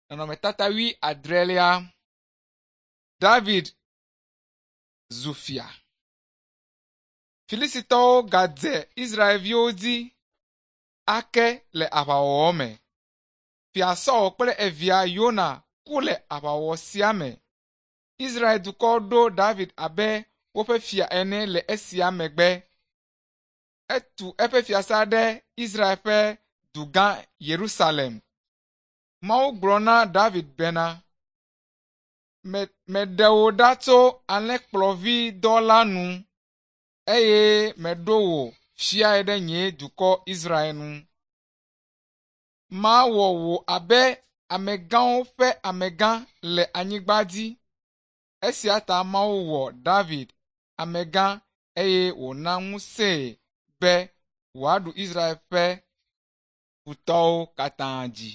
Nɔnɔmetata wuiadrelia. David zu fia. Filistitɔwo gadze Israelviwo dzi ake le aʋawɔwɔ me. Fia Saul kple evia Yona ku le aʋawɔwɔ sia me. Israel dukɔ ɖo David abe woƒe fia ene le esia megbe. Etu eƒe fiasa ɖe Israel ƒe dugã Yerusalem. Mawu gblɔ na David bena, Meɖe wò ɖa tso alẽkplɔvidɔ la nu, eye meɖo wò fiae ɖe nye dukɔ Israel nu. Mawɔ wò abe amegãwo ƒe amegã le anyigba dzi. Esia ta Mawu wɔ David amegã eye wòna ŋusẽe be wòaɖu Israel ƒe futɔwo katã dzi.